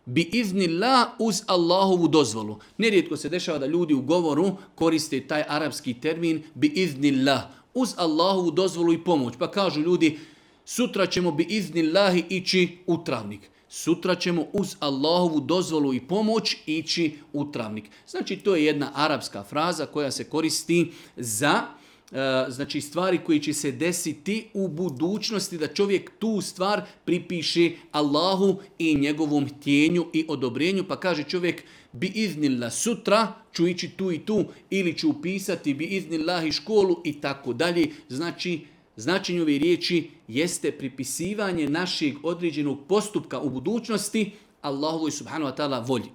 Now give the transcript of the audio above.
bi iznillah uz Allahovu dozvolu. Nerijetko se dešava da ljudi u govoru koriste taj arapski termin bi iznillah, uz Allahovu dozvolu i pomoć. Pa kažu ljudi, sutra ćemo bi iznillahi ići u travnik. Sutra ćemo uz Allahovu dozvolu i pomoć ići u travnik. Znači to je jedna arapska fraza koja se koristi za znači stvari koje će se desiti u budućnosti, da čovjek tu stvar pripiše Allahu i njegovom htjenju i odobrenju, pa kaže čovjek bi iznillah sutra ću ići tu i tu, ili ću upisati bi iznillahi školu i tako dalje. Znači značenje ove riječi jeste pripisivanje našeg određenog postupka u budućnosti Allahovoj subhanahu wa ta'ala volji.